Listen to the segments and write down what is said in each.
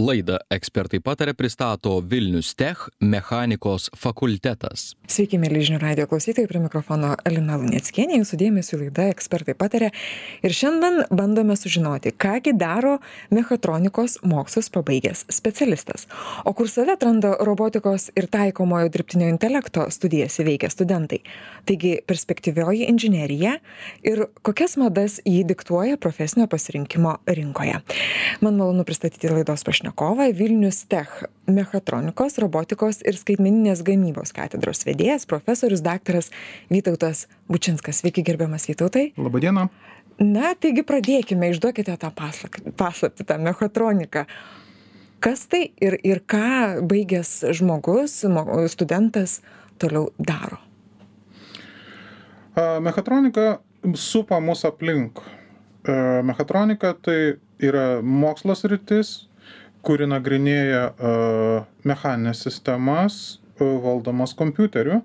Laidą Ekspertai pataria pristato Vilnius Tech mechanikos fakultetas. Sveiki, mėly žinių radijo klausytojai, prie mikrofono Lina Luneckienė, jūsų dėmesio laida Ekspertai pataria. Ir šiandien bandome sužinoti, kągi daro mechatronikos mokslus pabaigęs specialistas. O kur save atranda robotikos ir taikomojo dirbtinio intelekto studijas įveikę studentai. Taigi perspektyvioji inžinerija ir kokias madas jį diktuoja profesinio pasirinkimo rinkoje. Man malonu pristatyti laidos pašnekovą, Vilnius Tech mechatronikos, robotikos ir skaitmeninės gamybos katedros vedėjas, profesorius daktaras Vytautas Bučinskas. Sveiki, gerbiamas Vytautai. Labadiena. Na, taigi pradėkime, išduokite tą paslaptį, tą mechatroniką. Kas tai ir ką baigęs žmogus, studentas toliau daro? Mechatronika supa mus aplink. Mechatronika tai yra mokslo sritis, kuri nagrinėja mechaninės sistemas valdomas kompiuteriu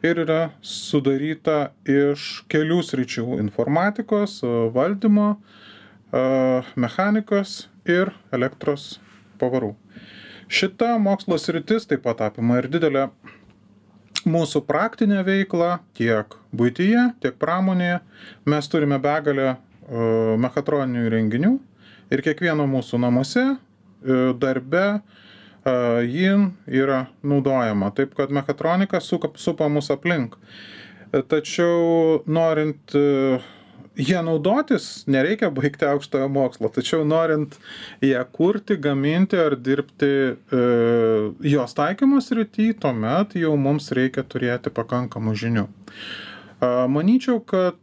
ir yra sudaryta iš kelių sričių – informatikos, valdymo, mechanikos ir elektros pavarų. Šita mokslo sritis taip pat apima ir didelę mūsų praktinę veiklą tiek buityje, tiek pramonėje. Mes turime begalę mechatroninių įrenginių ir kiekvieno mūsų namuose, darbe ji yra naudojama. Taip, kad mechatronika supa mus aplink. Tačiau norint ją naudotis, nereikia baigti aukštojo mokslo. Tačiau norint ją kurti, gaminti ar dirbti jos taikymo srity, tuomet jau mums reikia turėti pakankamų žinių. Manyčiau, kad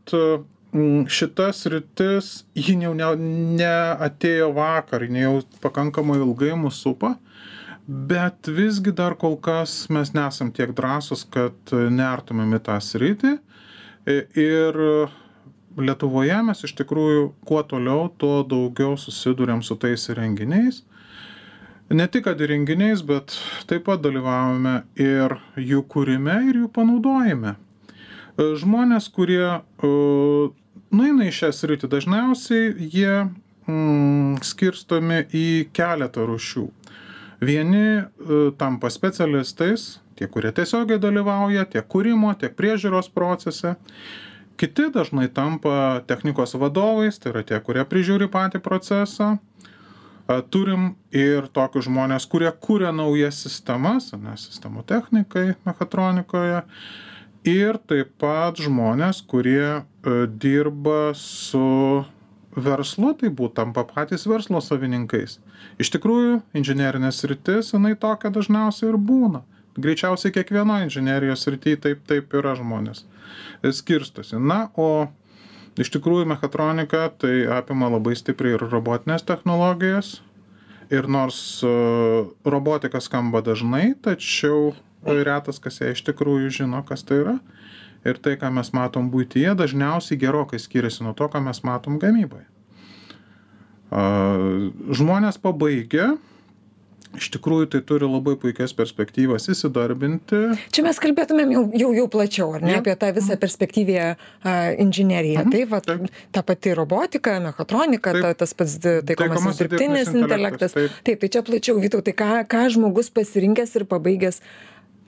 šita sritis, ji jau neatėjo vakar, ji jau pakankamai ilgai mus supa, bet visgi dar kol kas mes nesam tiek drąsus, kad nertumėm į tą sritį. Ir Lietuvoje mes iš tikrųjų kuo toliau, tuo daugiau susiduriam su tais įrenginiais. Ne tik kad įrenginiais, bet taip pat dalyvavome ir jų kūrime, ir jų panaudojime. Žmonės, kurie nueina į šią sritį, dažniausiai jie skirstomi į keletą rūšių. Vieni tampa specialistais, tie, kurie tiesiogiai dalyvauja tiek kūrimo, tiek priežiūros procese. Kiti dažnai tampa technikos vadovais, tai yra tie, kurie prižiūri patį procesą. Turim ir tokius žmonės, kurie kūrė naujas sistemas, sistemų technikai, mechatronikoje. Ir taip pat žmonės, kurie dirba su verslu, tai tampa patys verslo savininkais. Iš tikrųjų, inžinerinės sritis, jinai tokia dažniausiai ir būna. Greičiausiai kiekvieno inžinerijos srityje taip yra žmonės skirstosi. Na, o iš tikrųjų mechatronika tai apima labai stipriai ir robotinės technologijas. Ir nors robotika skamba dažnai, tačiau retas, kas ją iš tikrųjų žino, kas tai yra. Ir tai, ką mes matom buityje, dažniausiai gerokai skiriasi nuo to, ką mes matom gamyboje. Žmonės pabaigę, iš tikrųjų tai turi labai puikias perspektyvas įsidarbinti. Čia mes kalbėtumėm jau plačiau, ar ne, apie tą visą perspektyvę inžineriją. Tai ta pati robotika, mechatronika, tas pats taikomasis dirbtinis intelektas. Taip, tai čia plačiau, Vytautai, ką žmogus pasirinkęs ir pabaigęs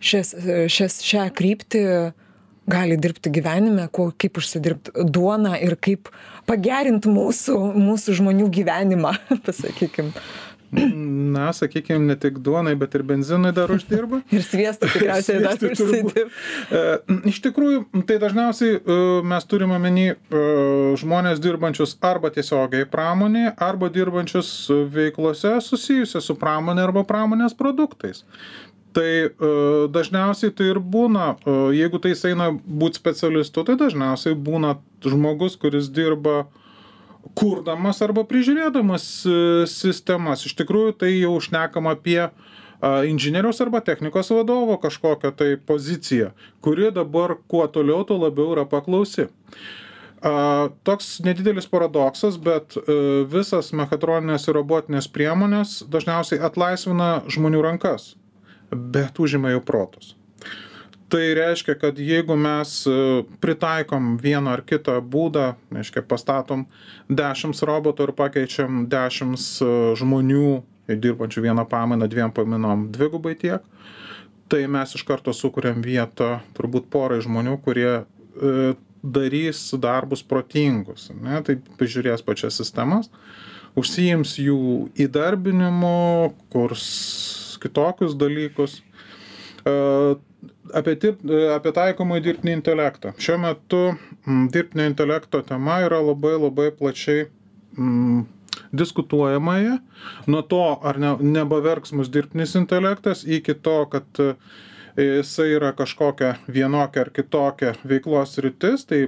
šią kryptį gali dirbti gyvenime, kaip užsidirbti duoną ir kaip pagerinti mūsų žmonių gyvenimą, pasakykim. Na, sakykime, ne tik duonai, bet ir benzinai dar uždirba. Ir sviestų tikriausiai dar užsidirba. Iš tikrųjų, tai dažniausiai mes turime omeny žmonės dirbančius arba tiesiogiai pramonėje, arba dirbančius veiklose susijusios su pramonė arba pramonės produktais. Tai dažniausiai tai ir būna, jeigu tai eina būti specialistu, tai dažniausiai būna žmogus, kuris dirba kurdamas arba prižiūrėdamas sistemas. Iš tikrųjų, tai jau šnekam apie inžinieriaus arba technikos vadovo kažkokią tai poziciją, kuri dabar kuo toliau, tuo labiau yra paklausi. Toks nedidelis paradoksas, bet visas mechatroninės ir robotinės priemonės dažniausiai atlaisvina žmonių rankas, bet užima jų protus. Tai reiškia, kad jeigu mes pritaikom vieną ar kitą būdą, reiškia, pastatom 10 robotų ir pakeičiam 10 žmonių dirbančių vieną pamainą, 2 pamainom 2 tiek, tai mes iš karto sukuriam vietą turbūt porai žmonių, kurie darys darbus protingus, ne? Tai pažiūrės pačias sistemas, užsiims jų įdarbinimu, kurs kitokius dalykus. Apie taikomąjį dirbtinį intelektą. Šiuo metu dirbtinio intelekto tema yra labai labai plačiai diskutuojamoje. Nuo to, ar nebeverks mus dirbtinis intelektas, iki to, kad jisai yra kažkokia vienokia ar kitokia veiklos sritis, tai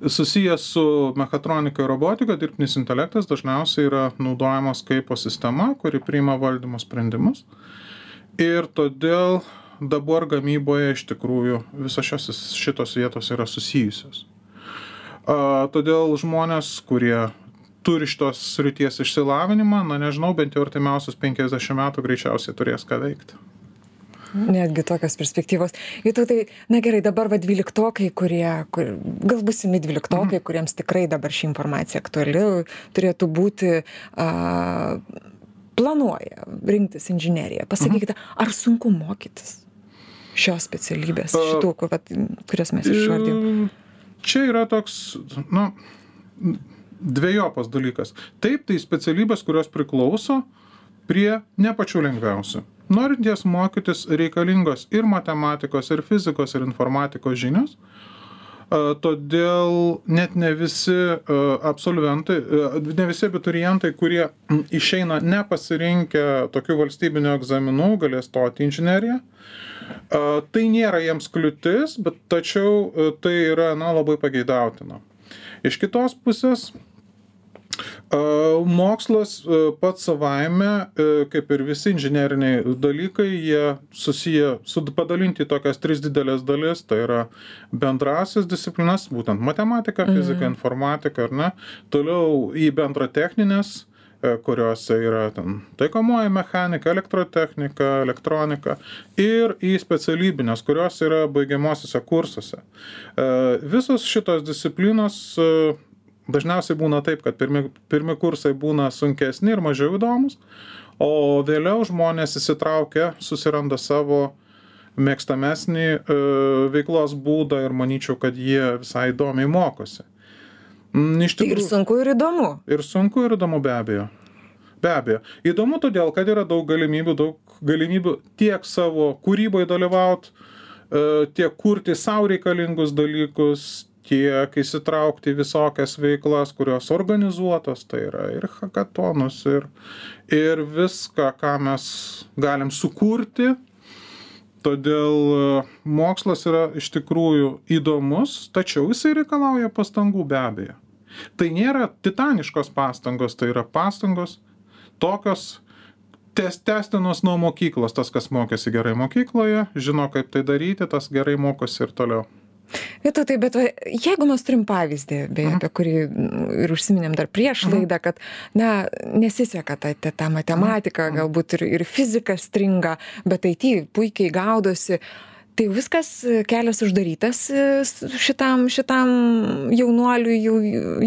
susijęs su mechatronika ir robotika, dirbtinis intelektas dažniausiai yra naudojamas kaip sistema, kuri priima valdymo sprendimus. Ir todėl dabar gamyboje iš tikrųjų visos šitos vietos yra susijusios. Todėl žmonės, kurie turi šitos srities išsilavinimą, nežinau, bent jau artimiausius 50 metų greičiausiai turės ką veikti. Netgi tokios perspektyvos. Tai, na gerai, dabar 12-okai, gal būsimi 12-okai, kuriems tikrai dabar ši informacija aktuali, turėtų būti, planuoja rinktis inžineriją. Pasakykite, ar sunku mokytis šios specialybės, šitų, kurias mes išvardėjom? Čia yra toks, dvejopas dalykas. Taip, tai specialybės, kurios priklauso prie ne pačių lengviausių. Norint jas mokytis reikalingos ir matematikos, ir fizikos, ir informatikos žinios, todėl net ne visi absolventai, ne visi abiturientai, kurie išeina nepasirinkę tokių valstybinių egzaminų, galės stoti į inžineriją. Tai nėra jiems kliūtis, bet tačiau tai yra labai pageidautina. Iš kitos pusės, mokslas pats savaime, kaip ir visi inžineriniai dalykai, jie susiję, padalinti į tokias 3 didelės dalis, tai yra bendrasis disciplinas, būtent matematika, fizika, informatika, ar ne, toliau į bendratechninės, kuriuose yra taikomoji mechanika, elektrotechnika, elektronika, ir į specialybinės, kurios yra baigiamosiuose kursuose. Visos šitos disciplinos dažniausiai būna taip, kad pirmi kursai būna sunkesni ir mažiau įdomus, o vėliau žmonės įsitraukia, susiranda savo mėgstamesnį veiklos būdą ir manyčiau, kad jie visai įdomiai mokosi. Tai ir sunku, ir įdomu. Ir sunku, ir įdomu, be abejo. Be abejo. Įdomu todėl, kad yra daug galimybių tiek savo kūryboje dalyvauti, tiek kurti savo reikalingus dalykus, tiek įsitraukti visokias veiklas, kurios organizuotos, tai yra ir hakatonus, ir viską, ką mes galim sukurti. Todėl mokslas yra iš tikrųjų įdomus, tačiau jisai reikalauja pastangų, be abejo. Tai nėra titaniškos pastangos, tai yra pastangos tokios tęstinos nuo mokyklos. Tas, kas mokėsi gerai mokykloje, žino, kaip tai daryti, tas gerai mokosi ir toliau. Bet jeigu mes turim pavyzdį, beje, apie kurį ir užsiminėm dar prieš laidą, kad, nesiseka ta matematika, galbūt ir fizika stringa, bet IT puikiai gaudosi, tai viskas kelias uždarytas šitam jaunuoliui,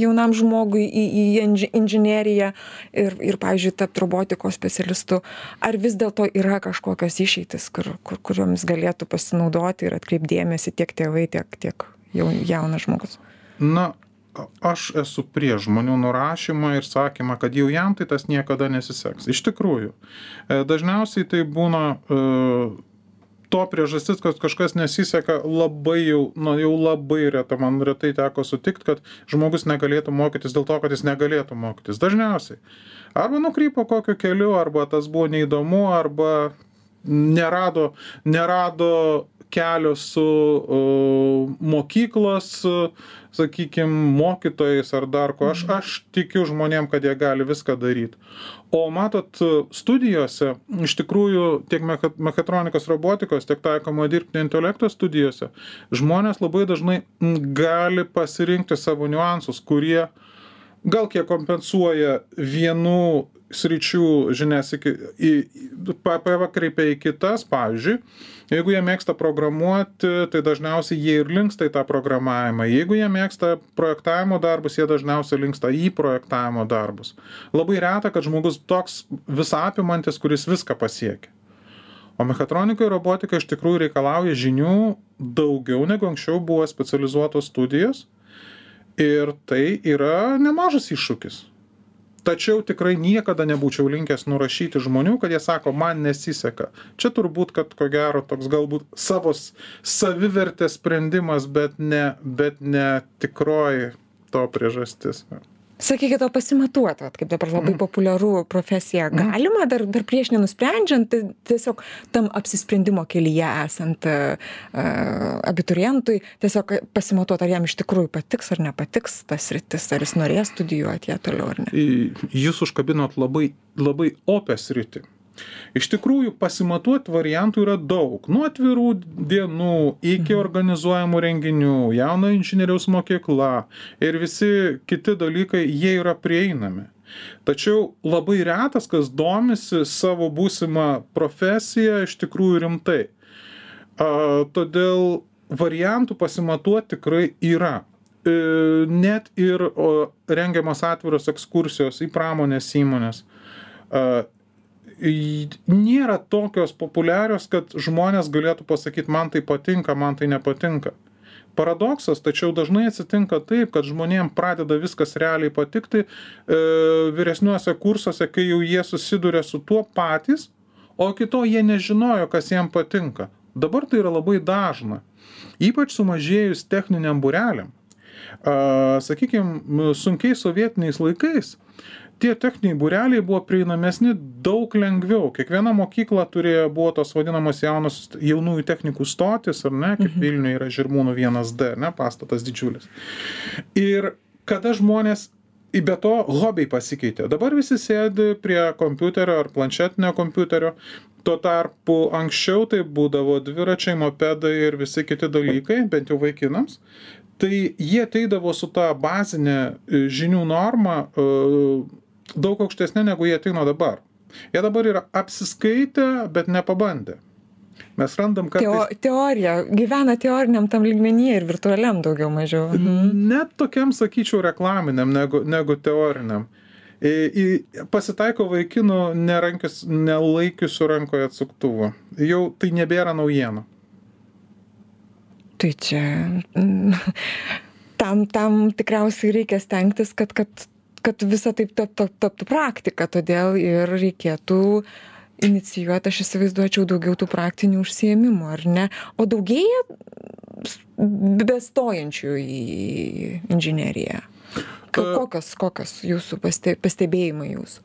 jaunam žmogui į inžineriją ir pavyzdžiui, tapti robotikos specialistu. Ar vis dėlto yra kažkokios išeitis, kuriomis galėtų pasinaudoti ir atkreipdėmėsi tiek tėvai, tiek jaunas žmogus? Aš esu prieš žmonių nurašymą ir sakymą, kad jau jam tai tas niekada nesiseks. Iš tikrųjų, dažniausiai tai būna to priežastis, kad kažkas nesiseka labai jau labai reta. Man retai teko sutikti, kad žmogus negalėtų mokytis dėl to, kad jis negalėtų mokytis. Dažniausiai. Arba nukrypo kokiu keliu, arba tas buvo neįdomu, arba nerado kelio su mokyklos, sakykime, mokytojais ar dar ko. Aš tikiu žmonėm, kad jie gali viską daryti. O matot, studijose, iš tikrųjų, tiek mechatronikos robotikos, tiek taikomo dirbtinio intelekto studijose, žmonės labai dažnai gali pasirinkti savo niuansus, kurie gal kiek kompensuoja vienų sričių žinias pakreipia į kitas, pavyzdžiui, jeigu jie mėgsta programuoti, tai dažniausiai jie ir linksta į tą programavimą. Jeigu jie mėgsta projektavimo darbus, jie dažniausiai linksta į projektavimo darbus. Labai reta, kad žmogus toks visapimantis, kuris viską pasiekia. O mechatronika ir robotika iš tikrųjų reikalauja žinių daugiau negu anksčiau buvo specializuotos studijos. Ir tai yra nemažas iššūkis. Tačiau tikrai niekada nebūčiau linkęs nurašyti žmonių, kad jie sako, man nesiseka. Čia turbūt, kad ko gero toks galbūt savivertės sprendimas, bet ne tikroji to priežastis. Sakykite, o pasimatuoti, kaip dabar labai populiaru profesija, galima dar prieš nenusprendžiant, tiesiog tam apsisprendimo kelyje esant abiturientui, tiesiog pasimatuoti, ar jam iš tikrųjų patiks ar nepatiks tas sritis, ar jis norės studijuoti ją toliau ar ne. Jūs užkabinot labai opę sritį. Iš tikrųjų, pasimatuoti variantų yra daug. Nuo atvirų dienų iki organizuojamų renginių, jauno inžinieriaus mokykla ir visi kiti dalykai, jie yra prieinami. Tačiau labai retas, kas domisi savo būsimą profesiją iš tikrųjų rimtai. Todėl variantų pasimatuoti tikrai yra. Net ir rengiamas atviros ekskursijos į pramonės įmonės nėra tokios populiarios, kad žmonės galėtų pasakyti, man tai patinka, man tai nepatinka. Paradoksas, tačiau dažnai atsitinka taip, kad žmonėm pradeda viskas realiai patikti vyresniuose kursuose, kai jau jie susiduria su tuo patys, o kito jie nežinojo, kas jiem patinka. Dabar tai yra labai dažna. Ypač sumažėjus techniniam būreliam. Sakykime, sunkiais sovietiniais laikais tie techniniai būreliai buvo prieinamesni daug lengviau. Kiekviena mokykla buvo tos vadinamos jaunųjų technikų stotis, ar ne, kaip Vilniuje yra Žirmūnų 1D, ne, pastatas didžiulis. Ir kada žmonės, be to hobiai pasikeitė. Dabar visi sėdi prie kompiuterio ar planšetinio kompiuterio. Tuo tarpu anksčiau tai būdavo dviračiai, mopedai ir visi kiti dalykai, bent jau vaikinams. Tai jie ateidavo su tą bazinę žinių normą daug aukštesnė, negu jie ateina dabar. Jie dabar yra apsiskaitę, bet nepabandę. Mes randam kartais... Teorija, gyvena teoriniam tam lygmenyje ir virtualiam daugiau mažiau. Net tokiam, sakyčiau, reklaminiam negu teoriniam. Pasitaiko vaikinų nelaikiusių rankoje atsuktuvo. Jau tai nebėra naujiena. Tai čia tam tikriausiai reikia stengtis, kad visa taip taptų praktika, todėl ir reikėtų inicijuoti, aš įsivaizduočiau, daugiau tų praktinių užsiėmimų, ar ne? O daugėja bestojančių į inžineriją? Kokios jūsų pastebėjimai jūsų?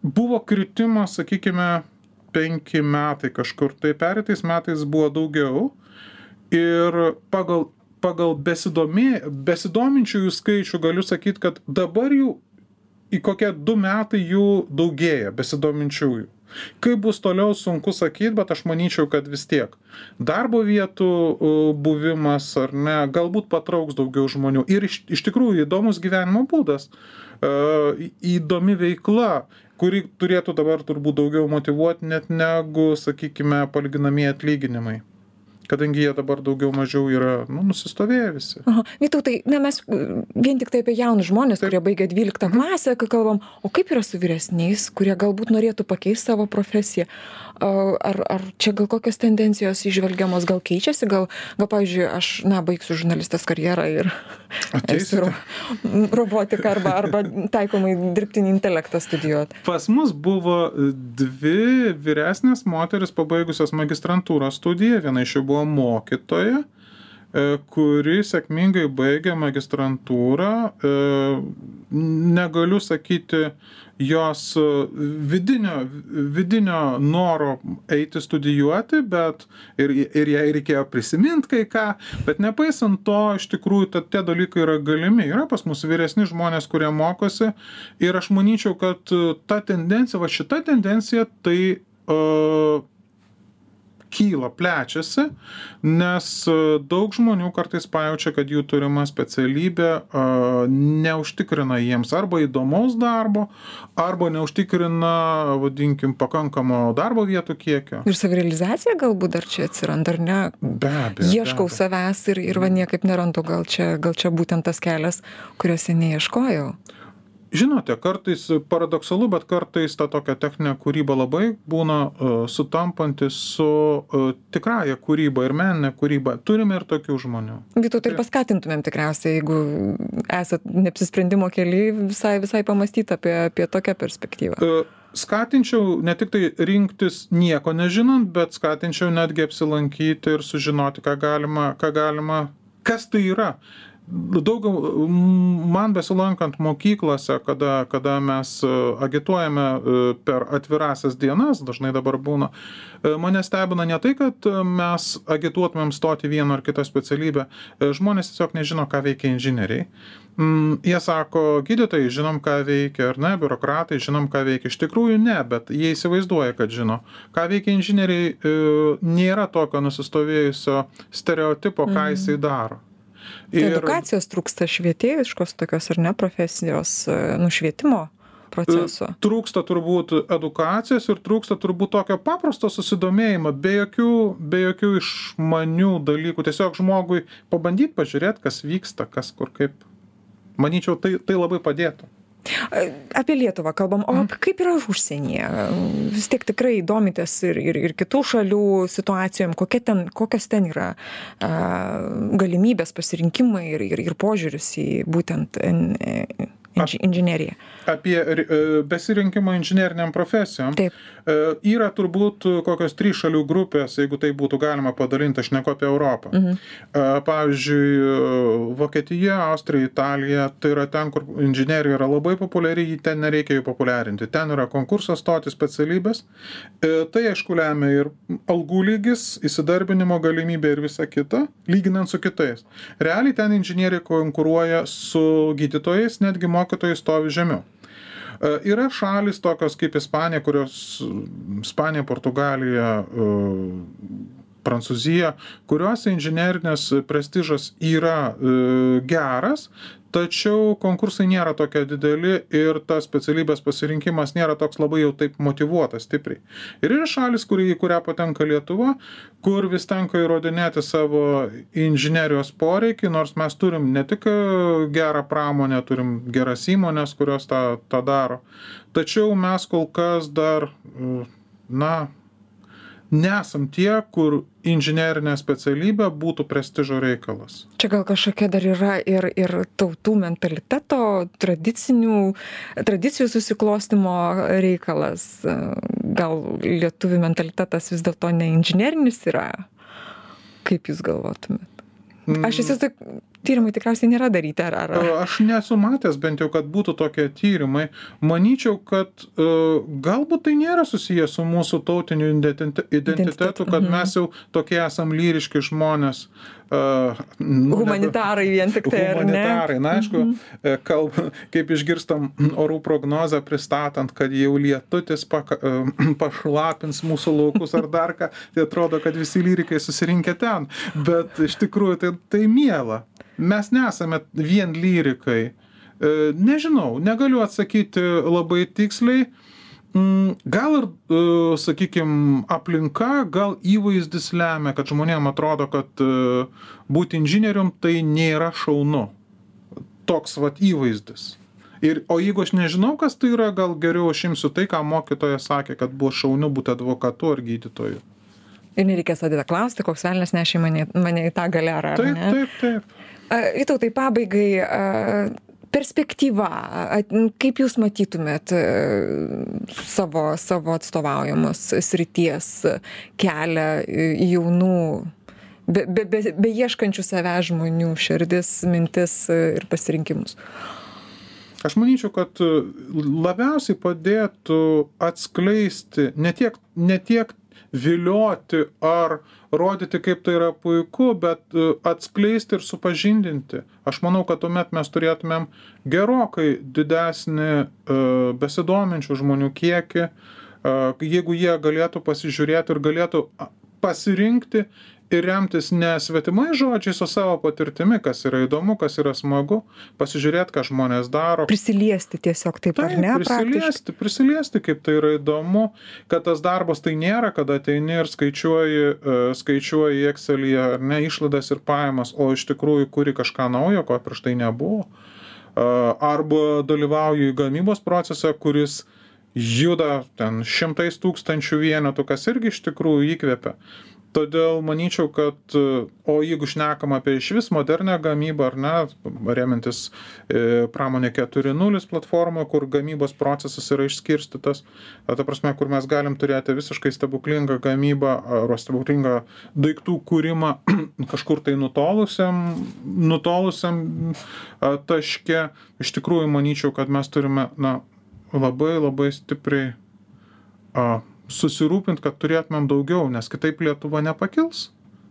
Buvo kritimas, sakykime, 5 metai kažkur, tai pereitais metais buvo daugiau ir pagal besidominčiųjų skaičių galiu sakyti, kad dabar jų į kokie 2 metai jų daugėja besidominčiųjų. Kaip bus toliau, sunku sakyti, bet aš manyčiau, kad vis tiek darbo vietų buvimas ar ne, galbūt patrauks daugiau žmonių. Ir iš tikrųjų įdomus gyvenimo būdas, įdomi veikla, kuri turėtų dabar turbūt daugiau motyvuoti net negu, sakykime, palyginamieji atlyginimai. Kadangi jie dabar daugiau mažiau yra nusistovėję visi. Vytautai, mes vien tik tai apie jaunus žmonės, kurie baigia 12 klasę, kai kalbam, o kaip yra su vyresniais, kurie galbūt norėtų pakeisti savo profesiją? Ar čia gal kokios tendencijos įžvelgiamos, gal keičiasi, gal pavyzdžiui, aš, baigsiu žurnalistės karjerą ir esu robotiką arba taikomai dirbtinį intelektą studijuoti. Pas mus buvo 2 vyresnės moteris pabaigusios magistrantūros studiją, viena iš jų buvo mokytoja, kuri sėkmingai baigė magistrantūrą. Negaliu sakyti jos vidinio noro eiti studijuoti, bet ir jai reikėjo prisiminti kai ką, bet nepaisant to, iš tikrųjų, tie dalykai yra galimi. Yra pas mus vyresni žmonės, kurie mokosi ir aš manyčiau, kad ta tendencija, šita tendencija, tai kyla, plečiasi, nes daug žmonių kartais pajaučia, kad jų turima specialybė neužtikrina jiems arba įdomaus darbo, arba neužtikrina, vadinkim, pakankamo darbo vietų kiekio. Ir savirealizacija galbūt dar čia atsiranda, ar ne? Be abejo. Ieškau savęs ir va niekaip nerandu, gal čia būtent tas kelias, kuriuose neieškojau. Žinote, kartais paradoksalu, bet kartais ta tokia techninė kūryba labai būna sutampanti su tikrąja kūryba ir meninė kūryba. Turime ir tokių žmonių. Vytautai, ir paskatintumėm tikriausiai, jeigu esat neapsisprendimo kely, visai pamastyti apie tokią perspektyvą. Skatinčiau ne tik tai rinktis nieko nežinant, bet skatinčiau netgi apsilankyti ir sužinoti, kas tai yra. Daug man besilankant mokyklose, kada mes agituojame per atvirasias dienas, dažnai dabar būna, mane stebina ne tai, kad mes agituotumėm stoti vieną ar kitą specialybę, žmonės tiesiog nežino, ką veikia inžinieriai. Jie sako, gydytojai žinom, ką veikia, ar ne, biurokratai žinom, ką veikia. Iš tikrųjų ne, bet jie įsivaizduoja, kad žino. Ką veikia inžinieriai, nėra tokio nusistovėjusio stereotipo, ką jisai daro. Edukacijos trūksta švietėjiškos tokios ar ne profesijos nušvietimo proceso. Trūksta turbūt edukacijos ir trūksta turbūt tokio paprasto susidomėjimo, be jokių išmanių dalykų. Tiesiog žmogui pabandyti pažiūrėti, kas vyksta, kas kur kaip. Manyčiau, tai labai padėtų. Apie Lietuvą kalbam, o kaip yra užsienyje? Vis tiek tikrai domitės ir kitų šalių situacijom, kokios ten yra galimybės, pasirinkimai ir požiūris į būtent inžineriją. Apie besirinkimą inžineriniam profesijom. Taip. Yra turbūt kokios 3 šalių grupės, jeigu tai būtų galima padalinti, aš neku apie Europą. Pavyzdžiui, Vokietija, Austrija, Italija, tai yra ten, kur inžinerija yra labai populiari, ten nereikia jų populiarinti. Ten yra konkursas stoti specialybės. Tai aišku lemia ir algų lygis, įsidarbinimo galimybė ir visa kita, lyginant su kitais. Realiai ten inžinieriai konkuruoja su gydytojais, netgi mokytojai stovi žemiau. Yra šalis tokios kaip Ispanija, Ispanija, Portugalija, Prancūzija, kuriuose inžinerinės prestižas yra geras, tačiau konkursai nėra tokie dideli ir tas specialybės pasirinkimas nėra toks labai jau taip motyvuotas stipriai. Ir yra šalis, į kurią patenka Lietuva, kur vis tenka įrodinėti savo inžinerijos poreikį, nors mes turim ne tik gerą pramonę, turim geras įmonės, kurios tą daro. Tačiau mes kol kas dar, nesam tie, kur inžinerinė specialybė būtų prestižo reikalas. Čia gal kažkokia dar yra ir tautų mentaliteto, tradicijų susiklostimo reikalas. Gal lietuvių mentalitetas vis dėlto ne inžinerinis yra? Kaip jūs galvotumėt? Aš įsivaizduoju, tyrimai tikriausiai nėra daryti, ar? Aš nesu matęs bent jau, kad būtų tokie tyrimai. Manyčiau, kad galbūt tai nėra susijęs su mūsų tautiniu identitetu, kad mes jau tokie esam lyriški žmonės. Humanitarai vien tik tai, ar ne? Humanitarai, aišku, kaip išgirstam orų prognozę pristatant, kad jau lietutis pašlapins mūsų laukus ar dar ką, tai atrodo, kad visi lyrikai susirinkę ten. Bet iš tikrųjų tai miela. Mes nesame vien lyrikai. Nežinau, negaliu atsakyti labai tiksliai. Gal ir, sakykime, aplinka, gal įvaizdis lemia, kad žmonėm atrodo, kad būti inžinierium tai nėra šaunu. Toks įvaizdis. O jeigu aš nežinau, kas tai yra, gal geriau aš imsiu tai, ką mokytoja sakė, kad buvo šaunu būti advokatu ar gydytoju. Ir nereikės tada klausti, koks velnias nešė mane į tą galerą, ar ne? Taip. Vytautai, pabaigai, perspektyva, kaip jūs matytumėt savo atstovaujamos srities kelią jaunų, be ieškančių savęs žmonių širdis, mintis ir pasirinkimus? Aš manyčiau, kad labiausiai padėtų atskleisti, ne tiek vilioti ar rodyti, kaip tai yra puiku, bet atskleisti ir supažindinti. Aš manau, kad tuomet mes turėtumėm gerokai didesnį besidominčių žmonių kiekį, jeigu jie galėtų pasižiūrėti ir galėtų pasirinkti ir remtis ne svetimais žodžiais, o savo patirtimi, kas yra įdomu, kas yra smagu, pasižiūrėti, ką žmonės daro. Prisiliesti tiesiog taip, ar ne? Prisiliesti, kaip tai yra įdomu, kad tas darbas tai nėra, kada ateini ir skaičiuoji Excel'yje, ar ne, išlaidas ir pajamas, o iš tikrųjų kuri kažką naujo, ko prieš tai nebuvo. Arba dalyvauji gamybos procese, kuris juda ten 100 000 vienetų, kas irgi iš tikrųjų įkvepia. Todėl manyčiau, kad, o jeigu šnekam apie išvis modernę gamybą, ar ne, remiantis pramonė 4.0 platformą, kur gamybos procesas yra išskirstytas, ta prasme, kur mes galim turėti visiškai stebuklingą gamybą ar stebuklingą daiktų kūrimą kažkur tai nutolusiam taške, iš tikrųjų manyčiau, kad mes turime labai stipriai susirūpinti, kad turėtumėm daugiau, nes kitaip Lietuva nepakils.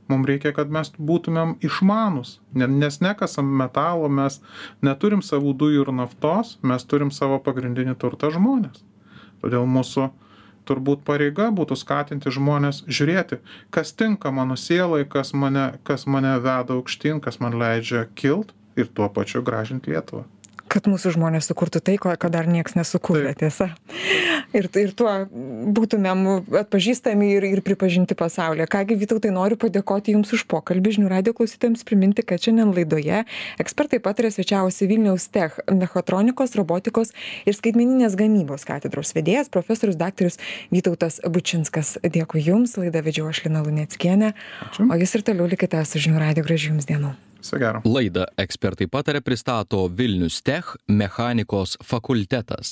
Mums reikia, kad mes būtumėm išmanus, nes nekasam metalo, mes neturim savų dujų ir naftos, mes turim savo pagrindinį turtą žmonės. Todėl mūsų turbūt pareiga būtų skatinti žmonės žiūrėti, kas tinka mano sielai, kas mane veda aukštyn, kas man leidžia kilt ir tuo pačiu gražinti Lietuvą. Kad mūsų žmonės sukurtų tai, ko dar nieks nesukūrė, tiesa. Ir tuo būtumėm atpažįstami ir pripažinti pasaulyje. Kągi, Vytautai, noriu padėkoti Jums už pokalbį. Žinių radijo klausytojams priminti, kad šiandien laidoje ekspertai pataria svečiavosi Vilniaus Tech mechatronikos, robotikos ir skaitmeninės gamybos katedros vedėjas, profesorius daktaras Vytautas Bučinskas. Dėkui Jums, laidą vedžiau aš Lina Luneckienė. O Jūs ir toliau likite su Žinių radijo. Gražių Jums dienų. Laidą ekspertai pataria pristato Vilnius Tech mechanikos fakultetas.